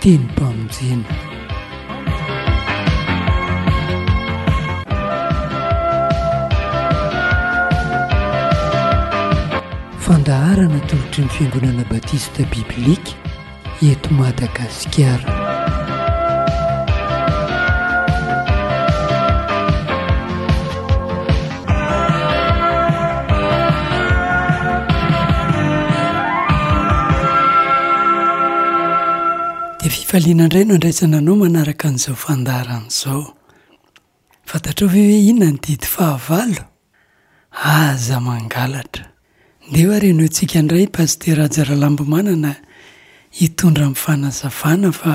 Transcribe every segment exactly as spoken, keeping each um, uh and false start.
Tenim-pamonjena. Fandaharana atolotry ny Fiangonana Batista Biblika eto Madagasikara. Dia fifaliana indray no andraisana anao manaraka an'izao fandaharana izao. Fantatrao ve hoe inona ny didy fahavalo? Aza mangalatra. Ndeha ary henointsika indray Pasitera Haja Ralambomanana hitondra ny fanazavana fa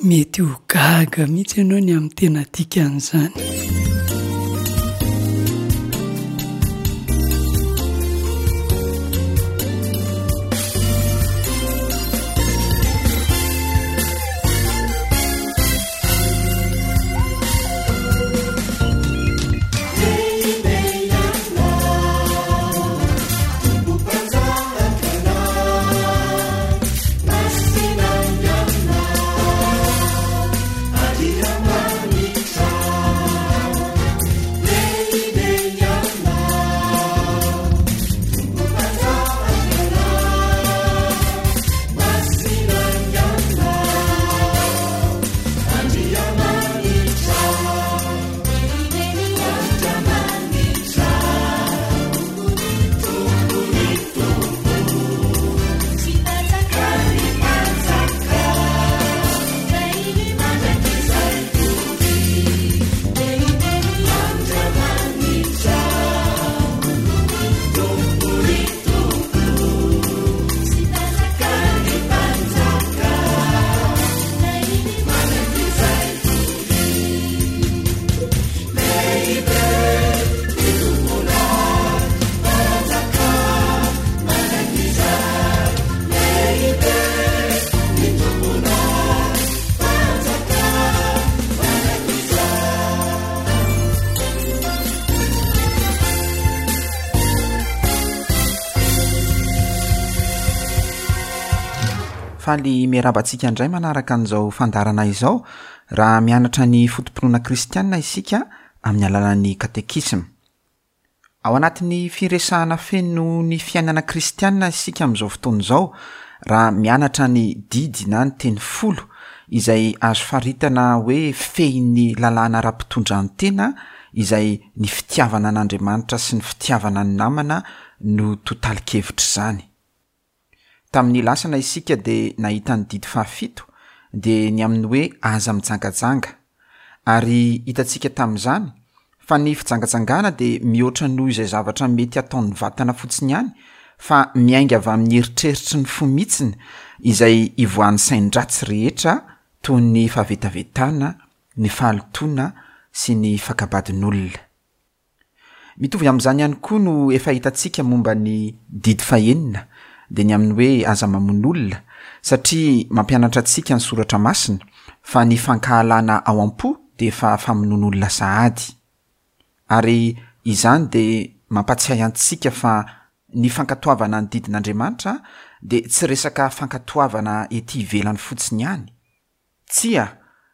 mety ho gaga mihitsy ianao ny amin'ny tena dikan'izany. Faly miarahaba antsika indray manaraka an'izao fandaharana izao raha mianatra ny foto-pinoana kristianina isika amin'ny alalan'ny katekisma. Ao anatin'ny firesahana feno ny fiainana kristianina isika amin'izao fotoana izao raha mianatra ny didy na ny teny folo izay azo faritana hoe fehin'ny lalàna ara-pitondran-tena izay ny fitiavana an'Andriamanitra sy ny fitiavana ny namana no totalin-kevitr'izany. Tamin'ny lasana isika dia nahita ny didy fahafito dia ny amin'ny hoe aza mijangajanga. Ary hitantsika tamin'izany fa ny fijangajangana dia mihoatra noho izay zavatra mety ataon'ny vatana fotsiny ihany fa miainga avy amin'ny eritreritry ny fo mihitsiny izay ivoahan'ny sain-dratsy rehetra toy ny fahavetavetana, ny fahalotoana sy ny fakabadin'olona. Mitovy amin'izany ihany koa no efa hitantsika momba ny didy fahenina dia ny amin'ny hoe aza mamono olona satria mampianatra antsika ny soratra masina fa ny fankahalana ao am-po dia efa famonoan'olona sahady. Ary izany dia mampatsiahy antsika fa ny fankatoavana ny didin'Andriamanitra dia tsy resaka fankatoavana ety ivelany fotsiny ihany. Tsia,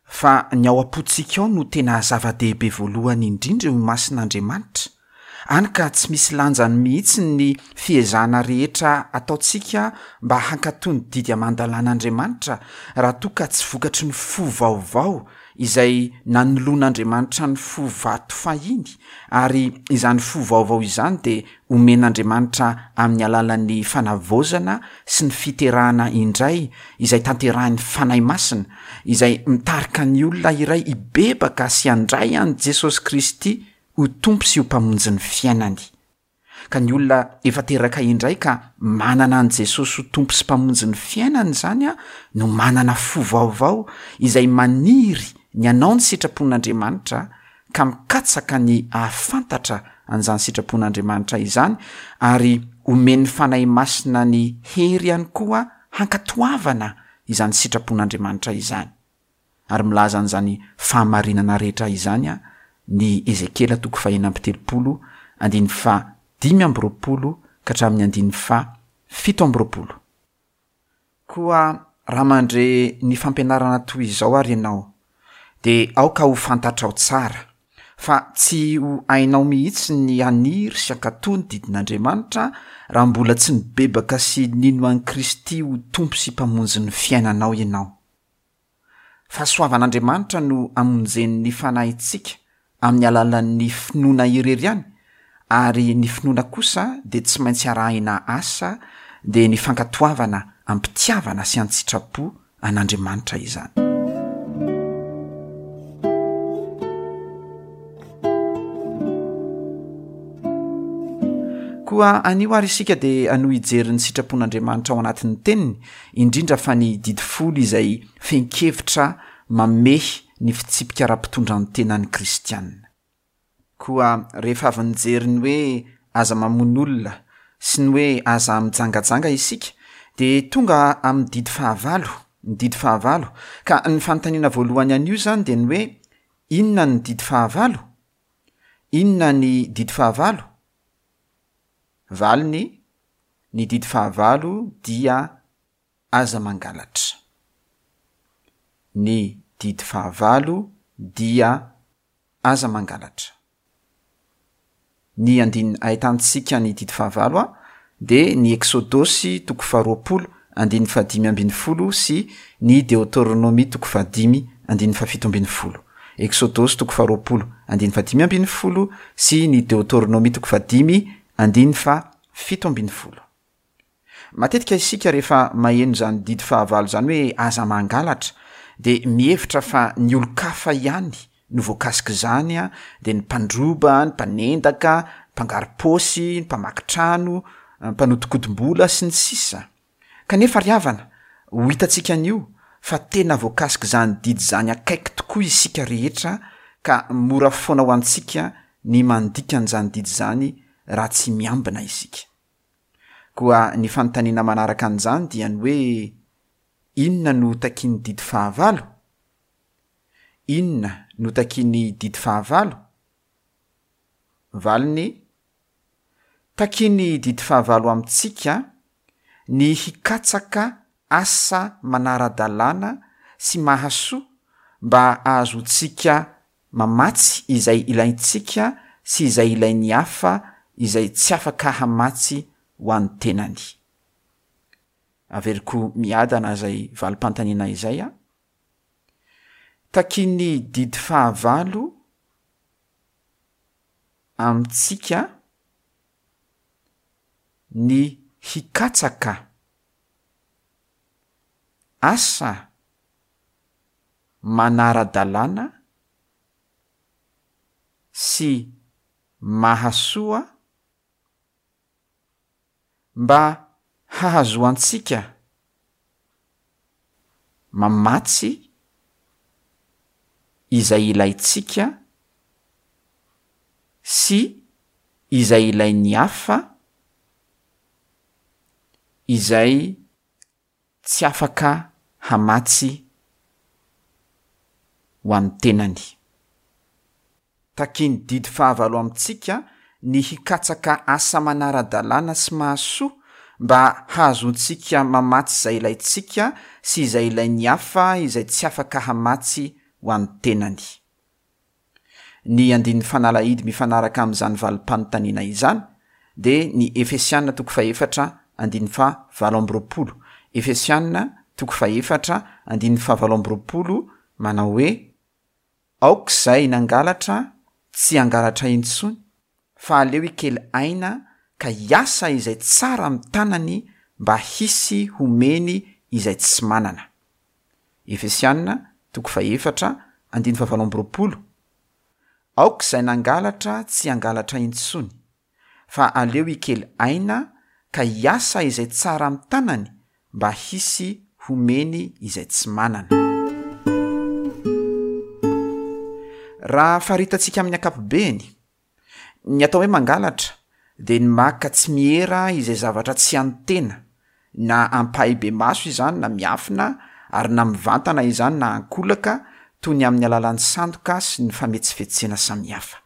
fa ny ao am-pontsika ao no tena zava-dehibe voalohany indrindra eo imason'Andriamanitra. Hany ka tsy misy lanjany mihitsy ny fiezahana rehetra ataontsika mba hankatò ny didy aman-dalàn'Andriamanitra raha toa ka tsy vokatry ny fo vaovao izay nanoloan'Andriamanitra ny fo vato fahiny, ary izany fo vaovao izany dia omen'Andriamanitra amin'ny alalan'ny fanavaozana sy ny fiterahana indray izay tanterahin'ny Fanahy Masina, izay mitarika ny olona iray hibebaka sy handray an'i Jesosy Kristy ho Tompo sy ho Mpamonjy ny fiainany. Ka ny olona efa teraka indray ka manana an'i Jesosy ho Tompo sy Mpamonjy ny fiainany izany no manana fo vaovao izay maniry ny hanao ny sitrapon'Andriamanitra ka mikatsaka ny hahafantatra an'izany sitrapon'Andriamanitra izany ary omen'ny Fanahy Masina ny hery ihany koa hankatoavana izany sitrapon'Andriamanitra izany. Ary milaza an'izany fahamarinana rehetra izany ny Ezekiela toko fahenina amby telopolo andininy faha dimy amby roapolo ka hatramin'ny andininy faha fito amby roapolo. Koa raha mandre ny fampianarana toy izao ary ianao, dia aoka ho fantatrao tsara fa tsy ho hainao mihitsy ny haniry sy hankatò ny didin'Andriamanitra raha mbola tsy nibebaka sy nino an'i Kristy ho Tompo sy Mpamonjy ny fiainanao ianao. Fahasoavan'Andriamanitra no hamonjen'ny fanahintsika amin'ny alalan'ny finoana irery ihany, ary ny finoana kosa dia tsy maintsy arahina asa, dia ny fankatoavana am-pitiavana sy an-tsitrapo an'Andriamanitra izany. Koa anio ary isika dia hanohy hijery ny sitrapon'Andriamanitra ao anatin'ny teniny, indrindra fa ny didy folo izay fehin-kevitra mamehy ny fitsipika ara-pitondran-tenan'ny kristianina. Koa rehefa avy nijery ny hoe aza mamono olona sy ny hoe aza mijangajanga isika, dia tonga amin'ny didy fahavalo, ny didy fahavalo. Ka ny fanontaniana voalohany anio izany dia ny hoe inona ny didy fahavalo? Inona ny didy fahavalo? Valiny, ny didy fahavalo dia aza mangalatra. Ny didy fahavalo dia aza mangalatra. Ny andininy ahitantsika ny didy fahavalo a, dia ny Eksodosy toko faharoapolo andininy fahadimy ambin'ny folo sy ny Deoteronomia toko fahadimy andininy fahafito ambin'ny folo. Eksodosy toko faharoapolo andininy fahadimy ambin'ny folo sy ny Deoteronomia toko fahadimy andininy fahafito ambin'ny folo. Matetika isika rehefa maheno izany didy fahavalo izany hoe aza mangalatra, dia mihevitra fa ny olon-kafa ihany no voakasika izany, dia ny mpandroba, ny mpanendaka, ny mpangaro-paosy, ny mpamaky trano, ny mpanodinkodim-bola sy ny sisa. Kanefa ry havana, ho hitantsika anio fa tena voakasika izany didy izany akaiky tokoa isika rehetra, ka mora foana ho antsika ny mandika an'izany didy izany raha tsy miambina isika. Koa ny fanontaniana manaraka an'izany dia ny hoe inona no takian'ny didy fahavalo? Inona no takian'ny didy fahavalo? Valiny, takian'ny didy fahavalo amintsika ny hikatsaka asa manara-dalàna sy mahasoa mba hahazoantsika mamatsy izay ilaintsika sy izay ilain'ny hafa izay tsy afaka hamatsy ho an'ny tenany. Averiko miadana izay valim-panontaniana izay a. Takian'ny didy fahavalo amintsika ny hikatsaka asa manara-dalàna sy mahasoa mba hahazoantsika mamatsy izay ilaintsika sy izay ilain'ny hafa izay tsy afaka hamatsy ho an'ny tenany. Takian'ny didy fahavalo amintsika ny hikatsaka asa manara-dalàna sy mahasoa mba hahazoantsika mamatsy izay ilaintsika sy izay ilain'ny hafa izay tsy afaka hamatsy ho an'ny tenany. Ny andininy fanalahidy mifanaraka amin'izany valim-panontaniana izany dia ny Efesiana toko fahefatra andininy fahavalo amby roapolo. Efesiana toko fahefatra andininy fahavalo amby roapolo manao hoe aoka izay nangalatra tsy hangalatra intsony, fa aleo hikely aina ka hiasa izay tsara amin'ny tanany mba hisy homeny izay tsy manana. Efesiana toko fahefatra andininy fahavalo amby roapolo. Aoka izay nangalatra tsy hangalatra intsony, fa aleo hikely aina ka hiasa izay tsara amin'ny tanany mba hisy homeny izay tsy manana. Raha faritantsika amin'ny ankapobeny, ny atao hoe mangalatra dia ny maka tsy miera izay zavatra tsy an'ny tena, na ampahibemaso izany na miafina, ary na mivantana izany na ankolaka, toy ny amin'ny alalan'ny sandoka sy ny fametsifetsena samihafa.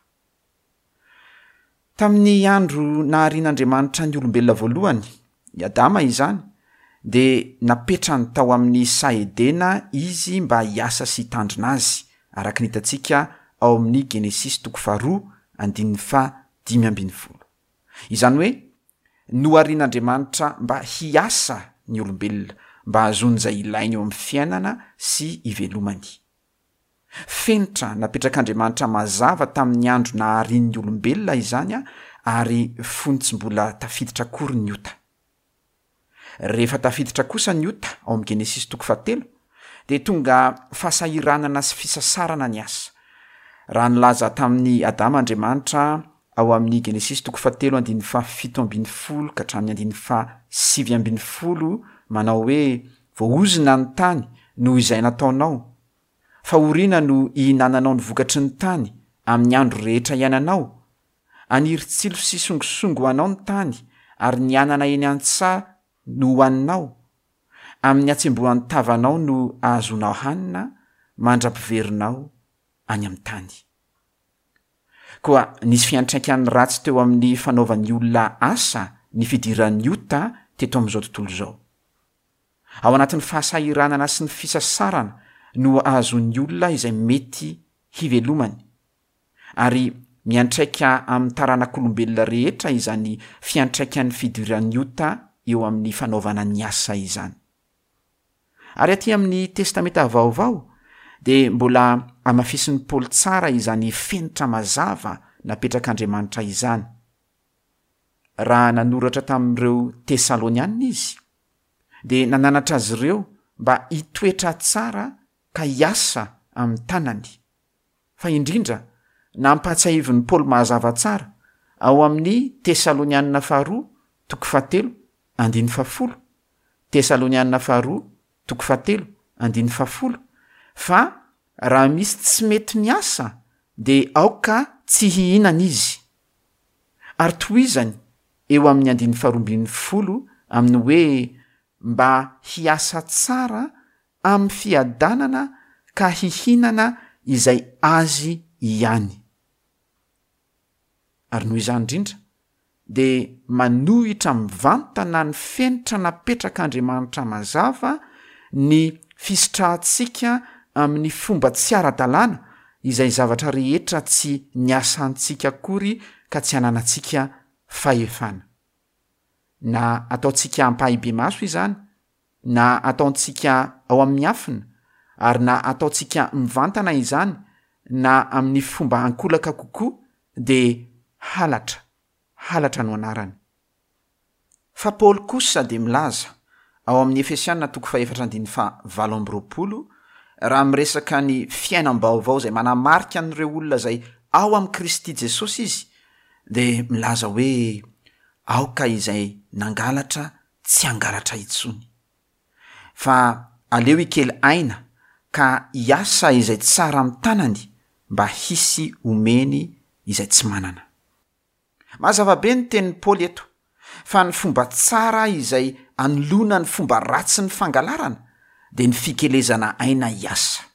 Tamin'ny andro naharian'Andriamanitra ny olombelona voalohany, i Adama izany, dia napetrany tao amin'ny saha Edena izy mba hiasa sy hitandrina azy, araka ny hitantsika ao amin'ny Genesisy toko faharoa andininy faha dimy ambin'ny folo. Izany hoe noharian'Andriamanitra mba hiasa ny olombelona, mba hahazoany izay ilainy eo amin'ny fiainana sy hivelomany. Fenitra napetrak'Andriamanitra mazava tamin'ny andro naharian'ny olombelona izany ary fony tsy mbola tafiditra akory ny ota. Rehefa tafiditra kosa ny ota ao amin'ny Genesisy toko fahatelo, dia tonga fahasahiranana sy fisasarana ny asa. Raha nilaza tamin'i Adama Andriamanitra ao amin'ny Genesisy toko fahatelo andininy fahafito ambin'ny folo ka hatramin'ny andininy fahasivy ambin'ny folo manao hoe voaozona ny tany noho izay nataonao, fahoriana no hihinananao ny vokatry ny tany amin'ny andro rehetra iainanao, haniry tsilo sy songosongo ho anao ny tany ary ny anana eny an-tsaha no hohaninao, amin'ny hatsembohan'ny tavanao no ahazoanao hanina mandra-piverinao any amin'ny tany. Koa nisy fiantraikany ratsy teo amin'ny fanaovan'ny olona asa ny fidiran'ny ota teto amin'izao tontolo izao. Ao anatin'ny fahasahiranana sy ny fisasarana no ahazoan'ny olona izay mety hivelomany, ary miantraika amin'ny taranak'olombelona rehetra izany fiantraikan'ny fidiran'ny ota eo amin'ny fanaovana ny asa izany. Ary aty amin'ny Testamenta Vaovao dia mbola hamafisin'i Paoly tsara izany fenitra mazava napetrak'Andriamanitra izany. Raha nanoratra tamin'ireo Tesalonianina izy, dia nananatra azy ireo mba hitoetra tsara ka hiasa amin'ny tanany. Fa indrindra, nampahatsiahivin'i Paoly mazava tsara ao amin'ny Tesalonianina faharoa toko fahatelo andininy fahafolo, Tesalonianina faharoa toko fahatelo andininy fahafolo, fa raha misy tsy mety miasa dia aoka tsy hihinana izy. Ary tohizany eo amin'ny andininy faharoa ambin'ny folo amin'ny hoe mba hiasa tsara amin'ny fiadanana ka hihinana izay azy ihany. Ary noho izany indrindra dia manohitra mivantana ny fenitra napetrak'Andriamanitra mazava ny fisitrahantsika amin'ny fomba tsy ara-dalàna izay zavatra rehetra tsy niasantsika akory ka tsy ananantsika fahefana. Na ataontsika ampahibemaso izany, na ataontsika ao amin'ny afina, ary na ataontsika mivantana izany, na amin'ny fomba ankolaka kokoa, dia halatra, halatra no anarany. Fa Paoly kosa dia milaza ao amin'ny Efesiana toko fahefatra andininy fahavalo amby roapolo, raha miresaka ny fiainam-baovao izay manamarika an'ireo olona izay ao amin'i Kristy Jesosy izy, dia milaza hoe aoka izay nangalatra tsy hangalatra intsony, fa aleo hikely aina ka hiasa izay tsara amin'ny tanany mba hisy omeny izay tsy manana. Mazava be ny tenin'i Paoly eto, fa ny fomba tsara izay anoloana ny fomba ratsy ny fangalarana dia ny fikelezana aina hiasa.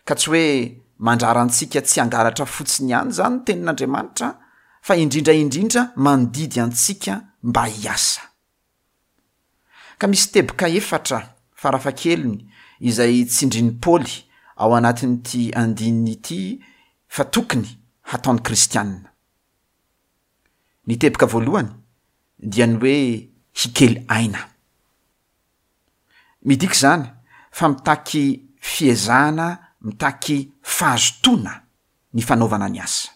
Ka tsy hoe mandrara antsika tsy hangalatra fotsiny ihany izany ny tenin'Andriamanitra, fa indrindra indrindra mandidy antsika mba hiasa. Ka misy teboka efatra farafahakeliny izay tsindrin'i Paoly ao anatin'ity andininy ity fa tokony hataon'ny kristianina. Ny teboka voalohany dia ny hoe hikely aina. Midika izany fa mitaky fiezahana, mitaky fahazotoana ny fanaovana ny asa.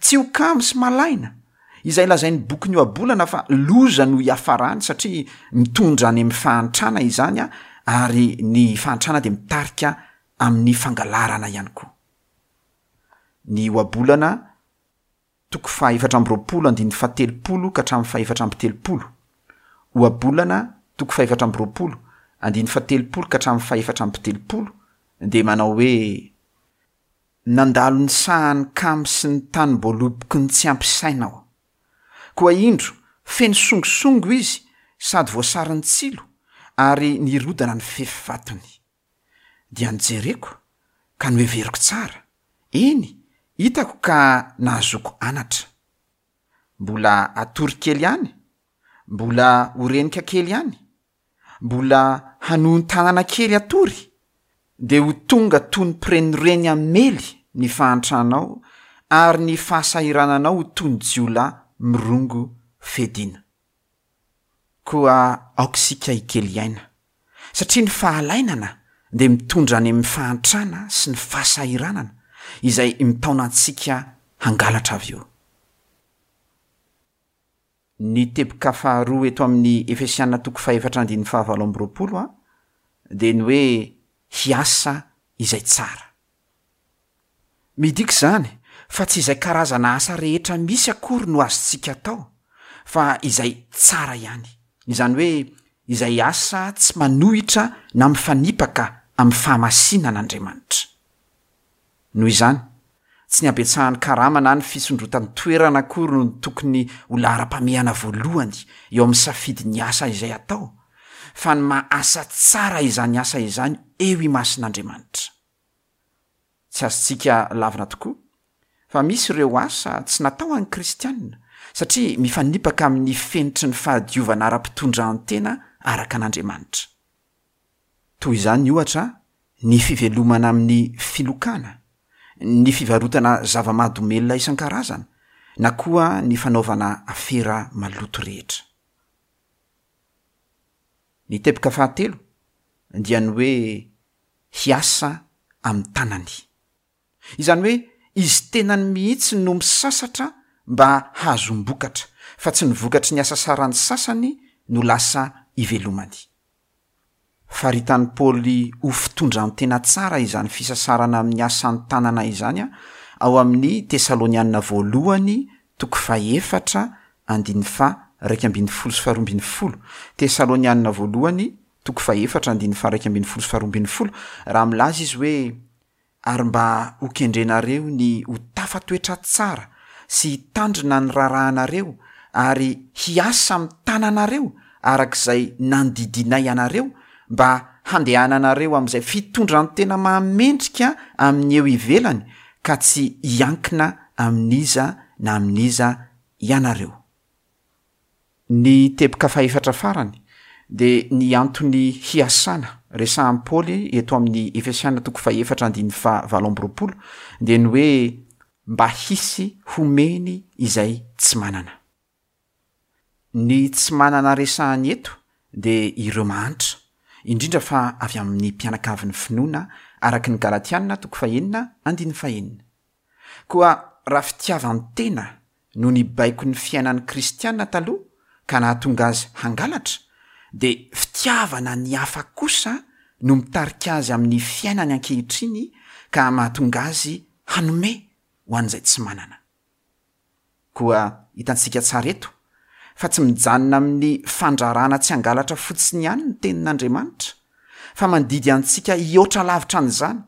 Tsy ho kamo sy malaina izay lazain'ny bokin'ny Ohabolana fa loza no hiafarany satria mitondra any amin'ny fahantrana izany, ary ny fahantrana dia mitarika amin'ny fangalarana ihany koa. Ny Ohabolana toko fahaefatra amby roapolo andininy fahatelopolo ka hatramin'ny fahefatra amby telopolo. Ohabolana toko fahefatra amby roapolo andininy fahatelopolo ka hatramin'ny fahefatra amby telopolo dia manao hoe nandalo ny sahan'ny kamo sy ny tanim-boaloboky ny tsy ampy saina aho. Koa indro feno songosongo izy sady voasarin'ny tsilo ary nirodana ny fefy vatony. Dia nijereko ka noheveriko tsara, eny hitako ka nahazoako anatra. Mbola atory kely ihany, Mbola ho renika kely ihany, mbola hanohon-tanana kely hatory, dia ho tonga toy ny mpirenireny hamely ny fahantranao ary ny fahasahirananao ho toy ny jiolahy mirongo fedina. Koa aoka isika hikely aina, satria ny fahalainana dia mitondra any amin'ny fahantrana sy ny fahasahiranana izay mitaona antsika hangalatra avy eo. Ny teboka faharoa eto amin'ny Efesiana toko fahefatra andininy fahavalo amby roapolo a, dia ny hoe hiasa izay tsara. Midika izany fa tsy izay karazana asa rehetra misy akory no azontsika atao, fa izay tsara ihany. Izany hoe izay asa tsy manohitra na mifanipaka amin'ny fahamasinan'Andriamanitra. Noho izany, tsy ny habetsahan'ny karama na ny fisondrotan'ny toerana akory no tokony ho laharam-pahamehana voalohany eo amin'ny safidin'ny asa izay atao, fa ny maha asa tsara izany asa izany eo imason'Andriamanitra. Tsy azontsika lavina tokoa fa misy ireo asa tsy natao an'ny kristianina satria mifanipaka amin'ny fenitry ny fahadiovana ara-pitondran-tena araka an'Andriamanitra. Toy izany ohatra ny fivelomana amin'ny filokana, ny fivarotana zava-mahadomelina isan-karazany, na koa ny fanaovana afera maloto rehetra. Ny teboka fahatelo dia ny hoe hiasa amin'ny tanany. Izany hoe izy tenany mihitsy no misasatra mba hahazoam-bokatra, fa tsy ny vokatry ny asasaran'ny sasany no lasa ivelomany. Faritan'i Paoly ho fitondran-tena tsara izany fisasarana amin'ny asan'ny tanana izany ao amin'ny Tesalonianina voalohany toko fahefatra andininy faha iraika ambin'ny folo sy faharoa ambin'ny folo. Tesalonianina voalohany toko fahefatra andininy faha iraika ambin'ny folo sy faharoa ambin'ny folo, raha milaza izy hoe ary mba ho kendrenareo ny ho tafatoetra tsara sy hitandrina ny raharahanareo ary hiasa amin'ny tananareo arak'izay nandidinay anareo mba handehananareo amin'izay fitondran-tena mahamendrika amin'ny eo ivelany ka tsy hiankina amin'iza na amin'iza ianareo. Ny teboka fahefatra farany dia ny antony hiasana resahan'i Paoly eto amin'ny Efesiana toko fahefatra andininy fahavalo amby roapolo dia ny hoe mba hisy homeny izay tsy manana. Ny tsy manana resahany eto dia ireo mahantra, indrindra fa avy amin'ny mpianakavin'ny finoana araka ny Galatiana toko fahenina andininy fahenina. Koa raha fitiavan-tena no nibaiko ny fiainan'ny kristiana taloha ka nahatonga azy hangalatra, dia fitiavana ny hafa kosa no mitarika azy amin'ny fiainany ankehitriny ka mahatonga azy hanome ho an'izay tsy manana. Koa hitantsika tsara eto fa tsy mijanona amin'ny fandrarana tsy hangalatra fotsiny ihany ny tenin'Andriamanitra, fa mandidy antsika hihoatra lavitra an'izany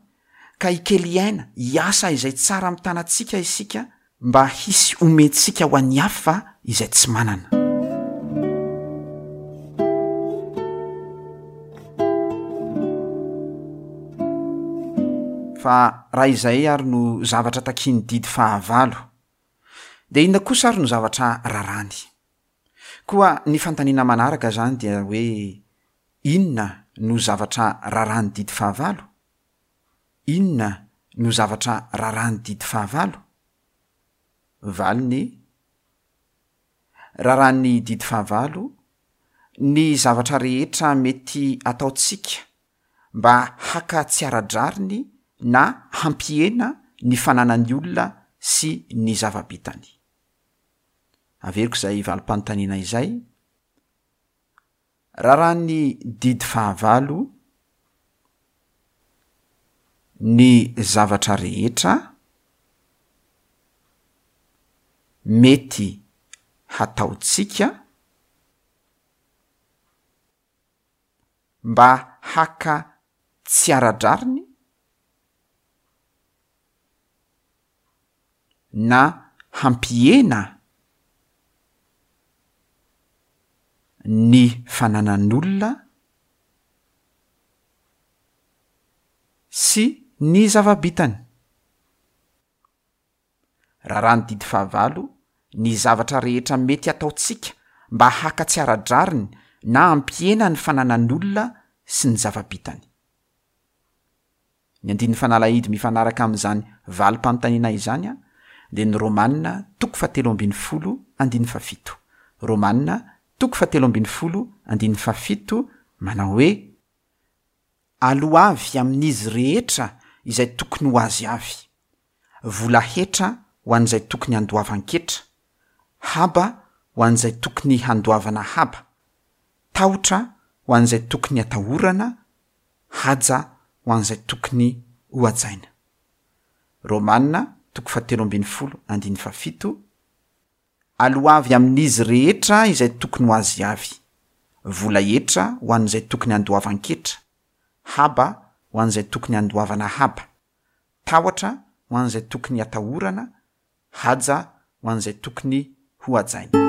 ka hikely aina hiasa izay tsara amin'ny tanantsika isika mba hisy omentsika ho an'ny hafa izay tsy manana. Fa raha izay ary no zavatra takian'ny didy fahavalo, dia inona kosa ary no zavatra rarany? Koa ny fanontaniana manaraka izany dia hoe inona no zavatra raràn'ny didy fahavalo? Inona no zavatra raràn'ny didy fahavalo? Valiny: raràn'ny didy fahavalo ny zavatra rehetra mety ataontsika mba haka tsy ara-drariny na hampihena ny fananan'ny olona sy ny zava-bitany. Averiko izay valim-panontaniana izay. Raràn'ny didy fahavalo ny zavatra rehetra mety hataontsika mba haka tsy ara-drariny na hampihena ny fananan'olona sy ny zava-bitany. Raràn'ny didy fahavalo ny zavatra rehetra mety hataontsika mba haka tsy ara-drariny na hampihena ny fananan'olona sy ny zava-bitany? Ny andininy fanalahidy mifanaraka amin'izany valim-panontaniana izany dia ny Romana toko fahatelo ambin'ny folo andininy fahafito. Romana toko fahatelo ambin'ny folo andininy fahafito manao hoe, Aloavy amin'izy rehetra izay tokony ho azy avy, vola hetra ho an'izay tokony handoavan-ketra, haba ho an'izay tokony handoavana haba, tahotra ho an'izay tokony hatahorana, haja ho an'izay tokony hohajaina. Romana toko fahatelo ambin'ny folo andininy fahafito, Aloavy amin'izy rehetra izay tokony ho azy avy, vola hetra ho an'izay tokony handoavan-ketra, haba ho an'izay tokony handoavana haba, tahotra ho an'izay tokony hatahorana, haja ho an'izay tokony hohajaina.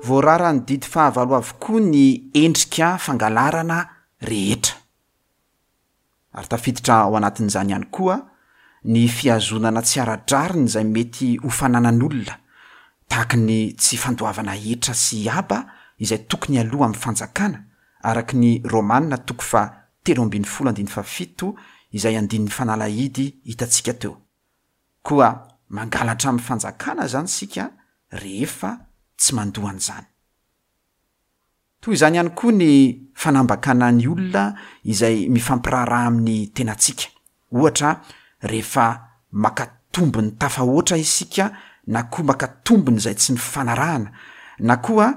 Voararan'ny didy fahavalo avokoa ny endrika fangalarana rehetra. Ary tafiditra ao anatin'izany ihany koa ny fihazonana tsy ara-drariny izay mety ho fananan'olona, tahaka ny tsy fandoavana hetra sy haba izay tokony aloa amin'ny fanjakana, araka ny Romana toko faha telo ambin'ny folo andininy fahafito izay andininy fanalahidy hitantsika teo. Koa mangalatra amin'ny fanjakana izany isika rehefa tsy mandoa an'izany. Toy izany ihany koa ny fanambakana ny olona izay mifampiraharaha amin'ny tenantsika. Ohatra, rehefa maka tombony tafahoatra isika na koa maka tombony izay tsy nifanarahana, na koa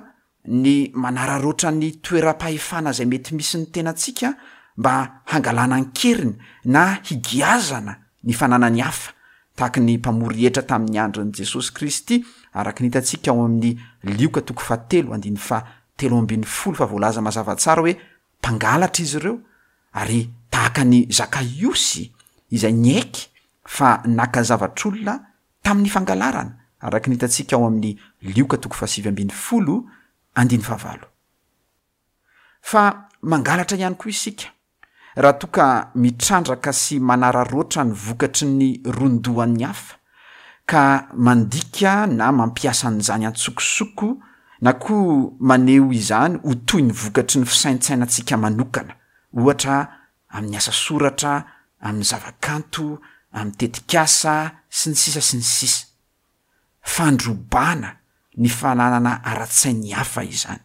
ny manararaotra ny toeram-pahefana izay mety misy ny tenantsika mba hangalana an-keriny na higiazana ny fananany hafa, tahaka ny mpamory hetra tamin'ny andron'i Jesosy Kristy, araka ny hitantsika ao amin'ny Lioka toko fahatelo andininy fahatelo ambin'ny folo fa voalaza mazava tsara hoe mpangalatra izy ireo, ary tahaka ny Zakaiosy izay niaiky fa naka zavatr'olona tamin'ny fangalarana, araka ny hitantsika ao amin'ny Lioka toko fahasivy ambin'ny folo andininy fahavalo. Fa mangalatra ihany koa isika raha toa ka mitrandraka sy manararaotra ny vokatry ny ron-dohan'ny hafa, ka mandika na mampiasa an'izany an-tsokosoko na koa maneho izany ho toy ny vokatry ny fisaintsainantsika manokana, ohatra amin'ny asa soratra, amin'ny zavakanto, amin'ny tetikasa, sy ny sisa sy ny sisa. Fandrobana ny fananana ara-tsain'ny hafa izany.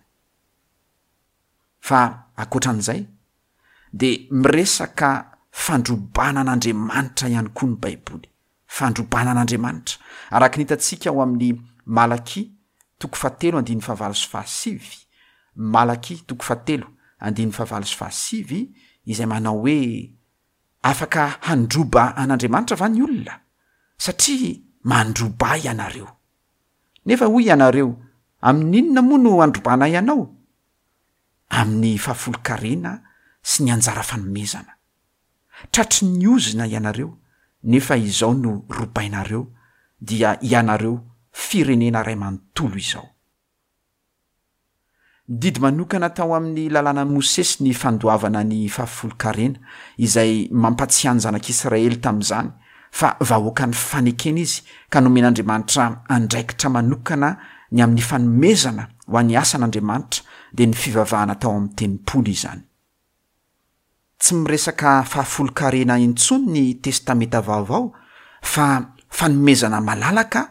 Fa ankoatran'izay, dia miresaka fandrobana an'Andriamanitra ihany koa ny Baiboly. Fandrobana an'Andriamanitra. Araka ny hitantsika ao amin'ny Malakia toko fahatelo andininy fahavalo sy fahasivy, Malakia toko fahatelo andininy fahavalo sy fahasivy, izay manao hoe afaka handroba an'Andriamanitra va ny olona? Satria mandroba ianareo. Nefa hoy ianareo, amin'inona moa no handrobanay anao? Amin'ny fahafolonkarena sy ny anjara fanomezana. Tratry ny ozona ianareo, nefa izao no robainareo, dia ianareo firenena iray manontolo izao. Didy manokana tao amin'ny lalànan'i Mosesy ny fandoavana ny fahafolonkarena, izay mampatsiahy ny zanak'Israely tamin'izany fa vahoakan'ny fanekena izy ka nomen'Andriamanitra andraikitra manokana ny amin'ny fanomezana ho an'ny asan'Andriamanitra, dia ny fivavahana tao amin'ny tempoly izany. Tsy miresaka fahafolonkarena intsony ny Testamenta Vaovao fa fanomezana malalaka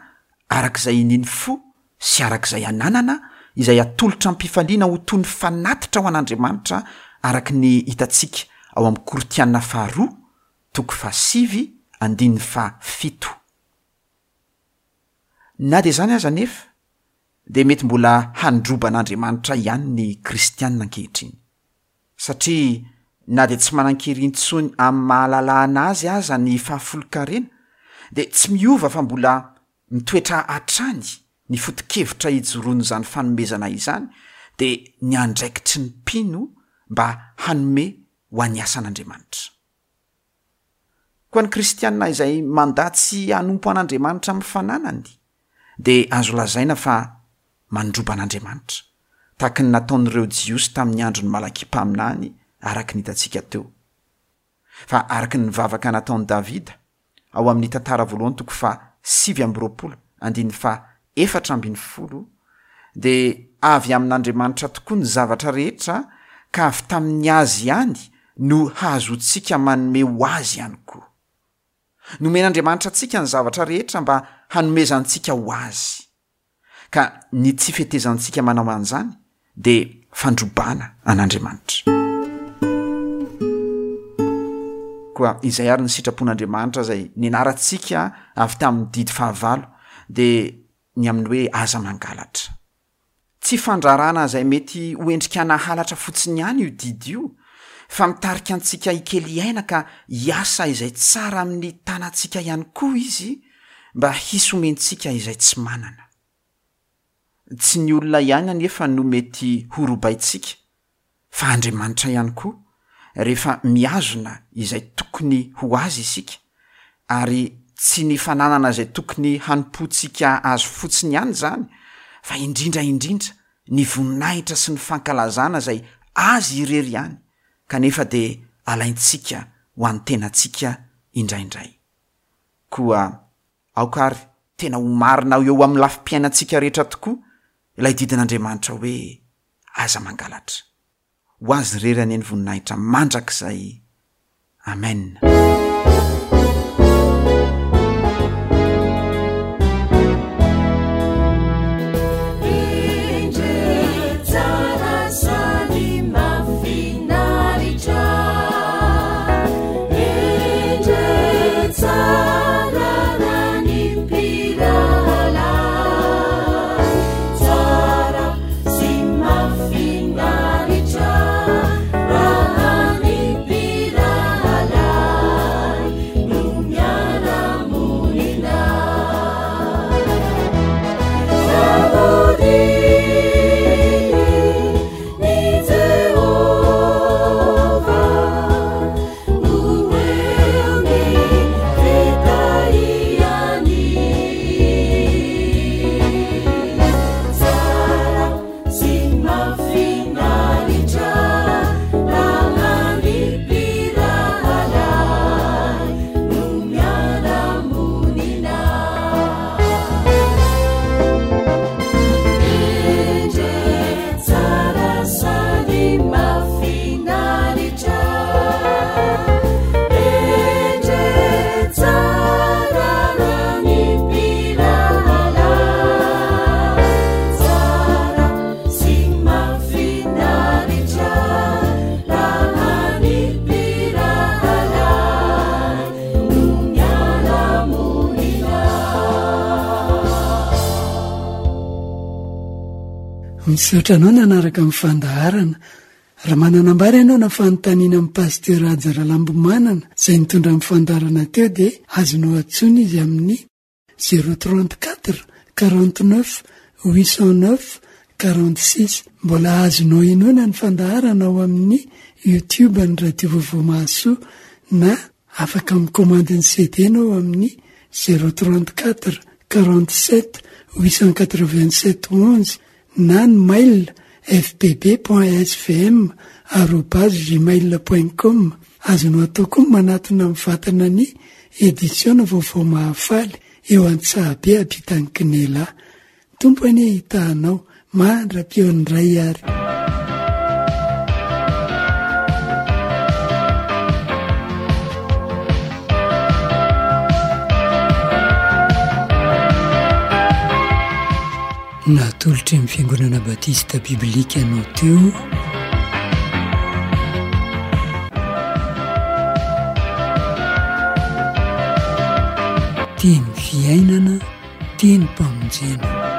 arak'izay inian'ny fo sy arak'izay ananana, izay atolotra am-pifaliana ho toy ny fanatitra ho an'Andriamanitra araka ny hitantsika ao amin'ny Korintiana faharoa, toko fahasivy, andininy fahafito. Na dia izany aza anefa, dia mety mbola handroba an'Andriamanitra ihany ny kristianina ankehitriny. Satria na dia tsy manan-kery intsony amin'ny mahalalahana azy aza ny fahafolonkarena, dia tsy miova fa mbola mitoetra hatrany ny foto-kevitra ijoroan'izany fanomezana izany, dia ny andraikitry ny mpino mba hanome ho an'ny asan'Andriamanitra. Koa ny kristianina izay mandà tsy hanompo an'Andriamanitra amin'ny fananany, dia azo lazaina fa mandroba an'Andriamanitra, tahaka ny nataon'ireo Jiosy tamin'ny andron'ny Malakia mpaminany araka ny hitantsika teo. Fa araka ny vavaka nataon'i Davida, ao amin'ny tantara voalohany toko faha sivy amby roapolo andininy faha efatra ambin'ny folo dia avy amin'Andriamanitra tokoa ny zavatra rehetra ka avy tamin'ny azy ihany no hahazoantsika manome ho azy ihany koa. Nomen'Andriamanitra antsika ny zavatra rehetra mba hanomezantsika ho azy. Ka ny tsy fetezantsika manao an'izany dia fandrobana an'Andriamanitra. Koa izay ary ny sitrapon'Andriamanitra izay nianarantsika avy tamin'ny didy fahavalo dia ny amin'ny hoe aza mangalatra. Tsy fandrarana izay mety ho endrika nahalatra fotsiny ihany io didy io, fa mitarika antsika hikely aina ka hiasa izay tsara amin'ny tanantsika ihany koa izy mba hisy omentsika izay tsy manana. Tsy ny olona ihany anefa no mety ho robaintsika, fa Andriamanitra ihany koa rehefa mihazona izay tokony ho azy isika, ary tsy ny fananana izay tokony hanompoantsika azy fotsiny ihany izany, fa indrindra indrindra ny voninahitra sy ny fankalazana izay azy irery ihany, kanefa dia alaintsika ho an'ny tenantsika indraindray. Koa aoka ary tena ho marina eo amin'ny lafim-piainantsika rehetra tokoa ilay didin'Andriamanitra hoe aza mangalatra. Ho azy irery anie ny voninahitra mandrakizay. Amen. Misaotra anao nanaraka amin'ny fandaharana. Raha manana ambara ianao na fanontaniana amin'ny Pasteur Haja Ralambomanana izay nitondra amin'ny fandaharana teo dia azonao antsoina izy amin'ny zéro trente-quatre quarante-neuf huit cent neuf quarante-six. Mbola azonao henoina ny fandaharana ao amin'ny YouTube ny Radio Vaovao Mahasoa na afaka mikomandy ny C D ianao amin'ny zéro trente-quatre quarante-sept huit cent quatre-vingt-sept onze na ny mail f p b point s v m arobase gmail point com. Azonao atao koa manatona amin'ny vatana ny édition Vaovao Mahafaly eo Antsahabe ampitan'ny Kinela. Tompo anie hitahanao mandra-pihaon'ny Ray ary. Natolotry ny Fiangonana Batista Biblika anao teo Teny fiainana, teny mpamonjena.